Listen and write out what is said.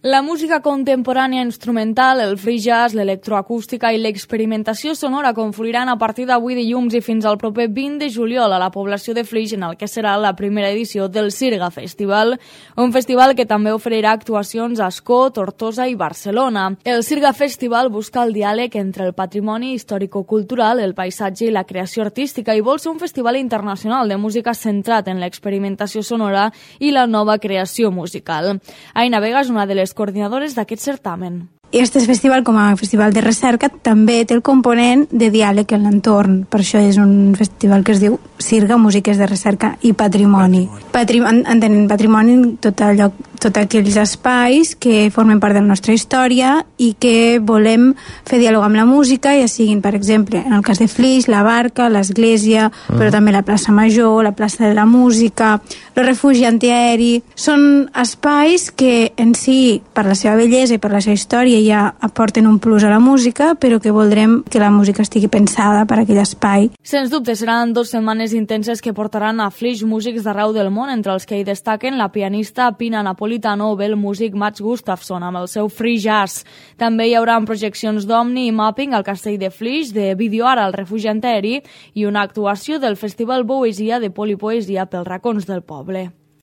La música contemporània instrumental, el free jazz, l'electroacústica i l'experimentació sonora confluiran a partir d'avui dilluns i fins al proper 20 de juliol a la població de Flix, en el que serà la primera edició del Sirga Festival, un festival que també oferirà actuacions a Ascó, Tortosa i Barcelona. El Sirga Festival busca el diàleg entre el patrimoni històrico-cultural, el paisatge i la creació artística i vol ser un festival internacional de música centrat en l'experimentació sonora i la nova creació musical. Aina Vega és una de les coordinadores d'aquest certamen. Aquest festival, com a festival de recerca, també té el component de diàleg en l'entorn. Per això és un festival que es diu Sirga, Músiques de Recerca i Patrimoni. Entenent patrimoni tots aquells espais que formen part de la nostra història i que volem fer diàleg amb la música, ja siguin, per exemple, en el cas de Flix, la Barca, l'església, però també la plaça Major, la plaça de la Música, el refugi antiaeri. Són espais que en si, per la seva bellesa i per la seva història, ja aporten un plus a la música, però que voldrem que la música estigui pensada per a aquell espai. Sens dubte, seran 2 setmanes intenses que portaran a Flix músics d'arreu del món, entre els que hi destaquen la pianista Pina Napolitano o el músic Mats Gustafsson amb el seu free jazz. També hi haurà projeccions d'Omni i Mapping al castell de Flix, de Videoara al refugi antiaeri i una actuació del Festival Poesia de Polipoesia pels racons del poble.